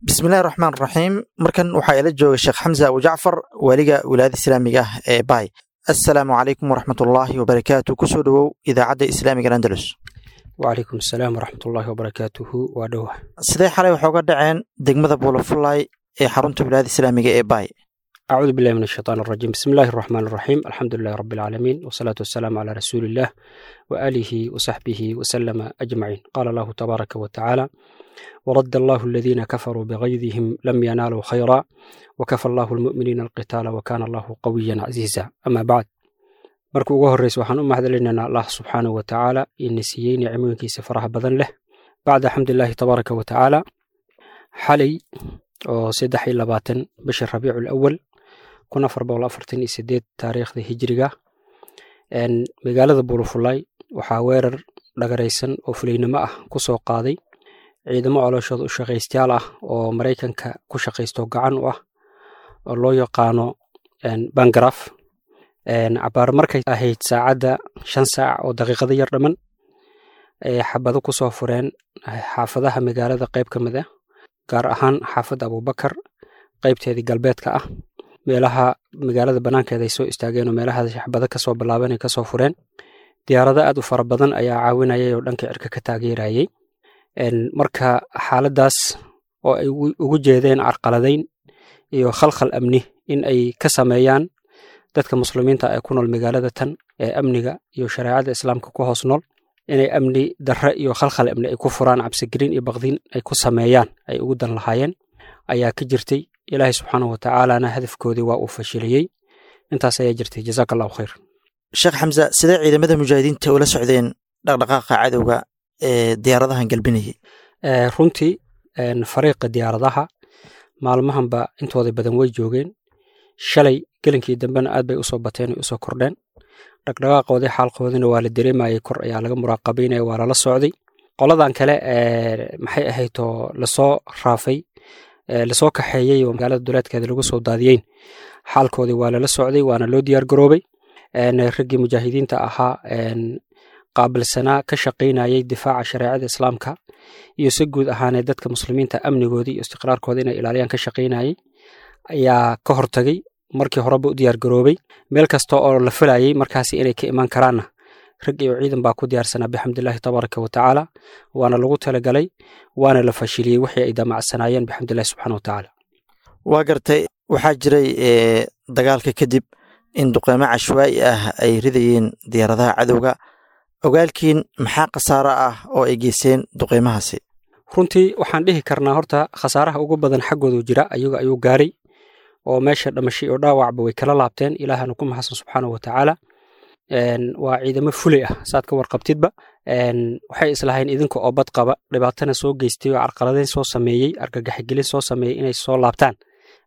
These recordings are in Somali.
Bismillahi raxmaan raxiim. Markan waxaa ila jooga Sheekh Xamse Abu Jacfar, waaliga wilaayada islaamiga ah ee Baay. Assalaamu calaykum waraxmatullaahi wabarakaatu. Kusoo dhowow idaacadda islaamiga Andalus. Wacalaykum asalaam waraxmatullaahi wabarakaatuhu. Waa dhowa. Sidee xalay waxaa uga dhaceen degmada Buulafulay ee xarunta wilaayada islaamiga ee Baay? Acuudu billahi min ashaytaan arajiim. Bismi illaahi araxmaan araxiim. Alxamdu lilahi rabbi alcaalamiin, wasalaatu wasalaamu calaa rasuuliillah waaalihi wasaxbihi wasalama ajmaciin. Qaala allahu tabaaraka wa tacaala: waradda allahu aladiina kafaruu bigaydihim lam yanaaluu khayra wakafa allahu almu'miniina alqitaala wakaana allahu qawiyan casiiza. Ama bacd, marka ugu horreysa waxaan u mahadcelinaynaa Allah subxaanahu wa tacaala ina siiyey nicmooyinkiisa faraha badan leh. Bacda alxamdulilaahi tabaaraka wa tacaala, xalay oo 23 bisha Rabiicu Awal 1448 taariikhda hijriga, magaalada Buulafulay waxaa weerar dhagaraysan oo fulaynimo ah ku soo qaaday ciidamo colooshooda u shaqaystayaal ah oo Maraykanka ku shaqaysto gacan u ah oo loo yaqaano Bangaraf. Cabaar markay ahayd saacadda 5 saac oo daqiiqado yar dhamman, ay xabado ku soo fureen xaafadaha magaalada qayb ka mid ah, gaar ahaan xaafadda Abuubakar qaybteedii galbeedka ah. Meelaha magaalada bannaankeeda ay soo istaageen oo meelaha xabado kasoo bilaabeen ay kasoo fureen. Diyaarado aad u fara badan ayaa caawinayay oo dhanka cirka ka taageerayay. Marka xaaladdaas oo ay ugu jeedeen carqaladayn iyo khalkhal amni in ay ka sameeyaan dadka muslimiinta ee ku nool magaalada tan ee amniga iyo shareecada islaamka ku hoos nool, inay amni darre iyo khalkhal amni ay ku furaan, cabsigelin iyo baqdin ay ku sameeyaan ay ugu dan lahaayeen ayaa ka jirtay. Ilaahay subxaanahu wa tacaalana hadafkoodii waa uu fashiliyey. Intaas ayaa jirtay. Jazaaka allahu khayr. Sheekh Xamse, sidee ciidamada mujaahidiinta ula socdeen dhaqdhaqaaqa cadowga ee diyaaradahan galbinayay? Runtii fariiqa diyaaradaha maalmahanba intooda badan way joogeen. Shalay gelinkii dambena aad bay usoo bateen o usoo kordheen. Dhaqdhaqaaqoodii xaalkoodina waa la dareemayay, kor ayaa laga muraaqabaynaya, waa lala socday. Qoladan kale maxay ahayd oo lasoo raafay, lasoo kaxeeyey oo magaalada duleedkeeda lagu soo daadiyeyn, xaalkoodii waa lala socday, waana loo diyaar garoobay. Raggii mujaahidiinta ahaa qaabilsanaa ka shaqaynayay difaaca shareecada islaamka iyo si guud ahaaneed dadka muslimiinta amnigoodii iyo istiqraarkooda inay ilaaliyaan ka shaqaynayay ayaa ka hortagay, markii horeba u diyaar garoobay. Meel kasta oo la filayay markaasi inay ka imaan karaanna rag iyo ciidan baa ku diyaarsanaa, bixamdillaahi tabaaraka wa tacaala. Waana lagu talagalay, waana la fashiliyey wixii ay damacsanaayeen, bixamdillahi subxaana wa tacaala. Waa gartay. Waxaa jiray dagaalka kadib in duqeymo cashwaa'i ah ay ridayeen diyaaradaha cadowga. Ogaalkiin maxaa khasaaro ah oo ay geysteen duqeymahaasi? Runtii waxaan dhihi karnaa horta khasaaraha ugu badan xaggoodu jira, ayaga ayuu gaaray oo meesha dhamashay oo dhaawacba way kala laabteen. Ilaahana ku mahadsan subxaanahu wa tacaala. Waa ciidamo fulay ah, saad ka warqabtidba. Waxay islahayn idinka oo bad qaba, dhibaatana soo geystay oo carqaladeyn soo sameeyey, argagaxgelin soo sameeyey, inay soo laabtaan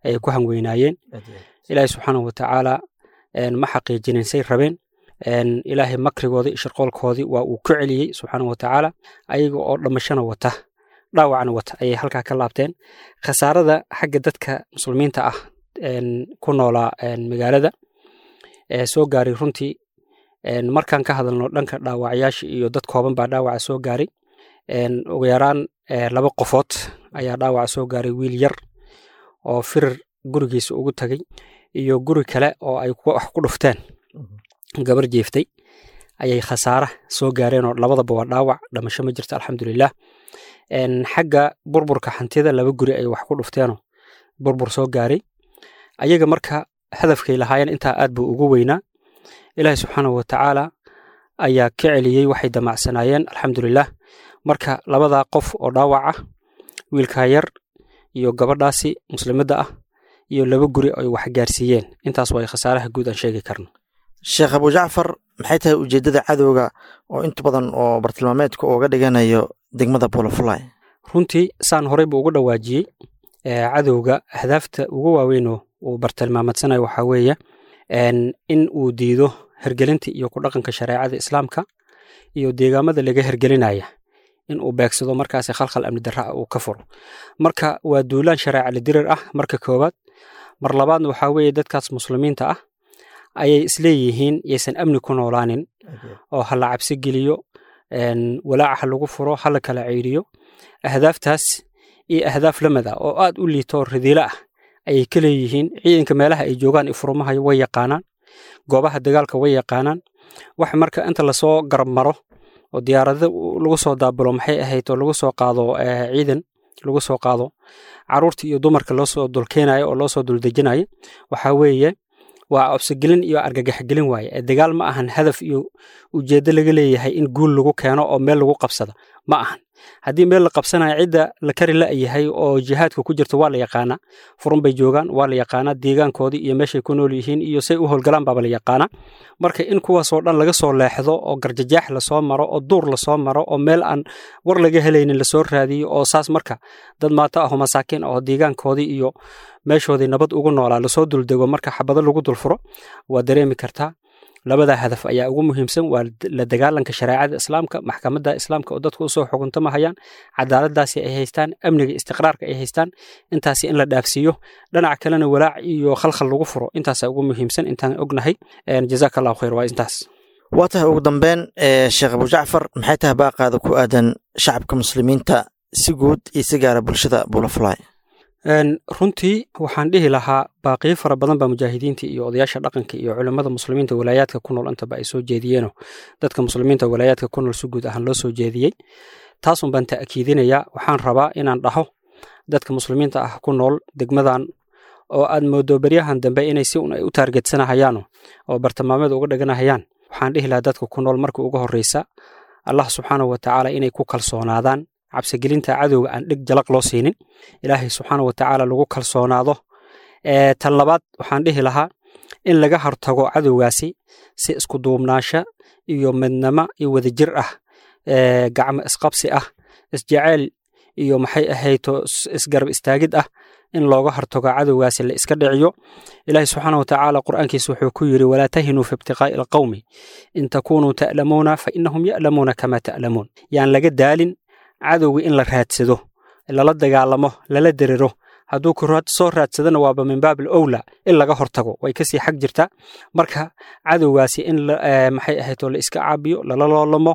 ayay ku hanweynaayeen. Ilaahay subxaanahu wa tacaala ma xaqiijinin say rabeen. Ilaahay makrigoodii iyo shirqoolkoodii waa uu ku celiyey subxaanahu wa tacaala. Ayaga oo dhamashana wata, dhaawacna wata ayay halkaa ka laabteen. Khasaarada xagga dadka muslimiinta ah ku noolaa magaalada ee soo gaaray, runtii markaan ka hadalno dhanka dhaawacyaasha iyo dad kooban baa dhaawaca soo gaaray. Ugu yaraan 2 qofood ayaa dhaawaca soo gaaray, wiil yar oo firir gurigiisa ugu tagay iyo guri kale oo ay wax ku dhufteen gabar jeeftay ayay khasaara soo gaareen, oo labadaba waa dhaawac, dhamasho ma jirto, alxamdulilah. Xagga burburka hantida 2 guri ay wax ku dhufteenoo burbur soo gaaray. Ayaga marka hadafkay lahaayeen intaa aad buu ugu weynaa. Ilaahay subxaanahu wa tacaala ayaa ka celiyey waxay damacsanaayeen, alxamdulilah. Marka labadaa qof oo dhaawac ah, wiilkaa yar iyo gabadhaasi muslimadda ah, iyo 2 guri ay wax gaarsiiyeen, intaas waa khasaaraha guud aan sheegi karno. Sheekh Abu Jacfar, maxay tahay ujeeddada cadowga oo inta badan oo bartilmaameedka uga dhiganayo degmada Buulafulay? Runtii saan horey buu ugu dhawaajiyey, cadowga ahdaafta ugu waaweynoo uu bartilmaameedsanayo waxaa weeye in uu diido hergelinta iyo ku dhaqanka shareecada islaamka iyo deegaamada laga hergelinaya in uu beegsado, markaasi khalkhal amni darra ah uu ka furo. Marka waa duulaan shareeca la dirir ah marka koowaad. Mar labaadna waxaa weeye dadkaas muslimiinta ah ayay isleeyihiin yaysan amni ku noolaanin oo ha la cabsi geliyo, walaaca ha lagu furo, ha la kala ceyriyo. Ahdaaftaas Iyo ahdaaf lamid ah oo aad u liito oo radiilo ah ayay ka leeyihiin. Ciidanka meelaha ay joogaan ifrumaha way yaqaanaan, goobaha dagaalka way yaqaanaan. Wax marka inta lasoo garab maro oo diyaarado lagu soo daabulo, maxay ahayd, oo lagu soo qaado ciidan, lagu soo qaado caruurta iyo dumarka loo soo dulkeenayo oo loo soo duldejinayo, waxaa weeye waa cobsigelin iyo argagaxgelin waaye. Dagaal ma ahan hadaf iyo ujeeddo laga leeyahay in guul lagu keeno oo meel lagu qabsada ma ahan. Haddii meel la qabsanayo, cidda la kari la'yahay oo jihaadka ku jirta waa la yaqaanaa, furun bay joogaan, waa la yaqaanaa deegaankoodii iyo meeshay ku nool yihiin iyo say u howlgalaan baaba la yaqaanaa. Marka in kuwaasoo dhan laga soo leexdo oo garjajaax lasoo maro oo duur lasoo maro oo meel aan war laga helaynin lasoo raadiyo, oo saas marka dad maato ah oo masaakiin ah oo deegaankoodii iyo meeshoodii nabad ugu noolaa lasoo duldego, marka xabado lagu dulfuro, waa dareemi kartaa. Labada hadaf ayaa ugu muhiimsan: waa la dagaalanka shareecada islaamka, maxkamadda islaamka oo dadku usoo xukuntamahayaan, cadaaladaasi ay haystaan, amniga istiqraarka ay haystaan, intaasi in la dhaafsiiyo, dhinaca kalena walaac iyo khalkhal lagu furo. Intaasaa ugu muhiimsan intaan ognahay. Jazaaka Allahu khayr, waa intaas. Waa tahay. Ugu dambeyn, Sheekh Abu Jacfar, maxay tahay baaqaada ku aadan shacabka muslimiinta si guud iyo si gaara bulshada Bulafly? Runtii waxaan dhihi lahaa baaqiyo fara badan baa mujaahidiinta iyo odayaasha dhaqanka iyo culimmada muslimiinta walaayaadka ku nool intaba ay soo jeediyeeno, dadka muslimiinta walaayaadka ku nool si guud ahaan loo soo jeediyey. Taasun baan ta'kiidinayaa. Waxaan rabaa inaan dhaho dadka muslimiinta ah ku nool degmadan oo aad moodo beryahan dambe inay si un ay u taargetsanahayaano oo bartilmaameed uga dhiganahayaan, waxaan dhihi lahaa dadka ku nool marka ugu horreysa Allah subxaanahu wa tacaala inay ku kalsoonaadaan, cabsigelinta cadowga aan dhig jalaq loo siinin, Ilaahay subxaana wa tacaala lagu kalsoonaado. Tan labaad waxaan dhihi lahaa in laga hortago cadowgaasi si isku duubnaansha iyo midnimo iyo wadajir ah, gacmo isqabsi ah, isjeceyl iyo maxay ahayto isgarab istaagid ah in looga hortago cadowgaasi, la iska dhiciyo. Ilaahay subxaana wa tacaala qur'aankiisa wuxuu ku yidhi: "Walaa tahinuu fi ibtiqaa'i alqawmi in takuunuu ta'lamuuna fa innahum ya'lamuuna kama ta'lamuun." Yaan laga daalin cadowga in la raadsado, lala dagaalamo, lala derero. Hadduu ku soo raadsadana waaba min baab alowla in laga hortago, way kasii xag jirtaa. Marka cadowgaasi in maxay ahayd oo la iska caabiyo, lala loolamo,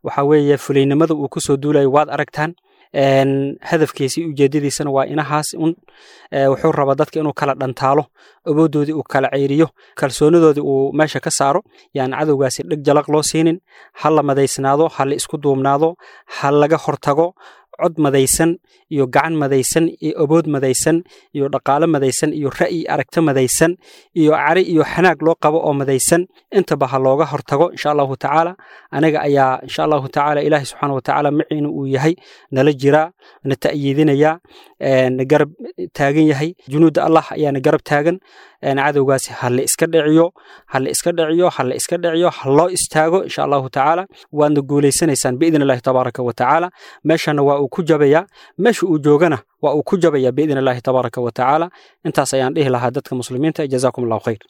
waxaa weeye fulaynimada uu kusoo duulayo waad aragtaan. Hadafkiisa iyo ujeedadiisana waa inahaas un. Wuxuu rabaa dadka inuu kala dhantaalo, awooddoodii uu kala ceyriyo, kalsoonidoodii uu meesha ka saaro. Yaan cadowgaasi dhig jalaq loo siinin. Ha la madaysnaado, ha la isku duubnaado, ha laga hortago cod madaysan iyo gacan madaysan iyo awood madaysan iyo dhaqaale madaysan iyo ra'yi aragto madaysan iyo cari iyo xanaag loo qabo oo madaysan, intaba ha looga hortago insha Allahu tacaala. Aniga ayaa insha Allahu tacaala Ilaahay subxaana wa tacaala maciina uu yahay, nala jiraa, na ta'yiidinayaa, na garab taagan yahay. Junuudda Allah ayaa na garab taagan. Cadowgaasi ha la iska dhiciyo, ha la iska dhiciyo, ha la iska dhiciyo, ha loo istaago insha Allahu tacaala. Waadna guulaysanaysaan biidn Illahi tabaaraka wa tacaala. Meeshana waa uu ku jabayaa, meesha uu joogana waa uu ku jabayaa biidn Illahi tabaaraka wa tacaala. Intaas ayaan dhihi lahaa dadka muslimiinta. Jazaakum Allahu khayr.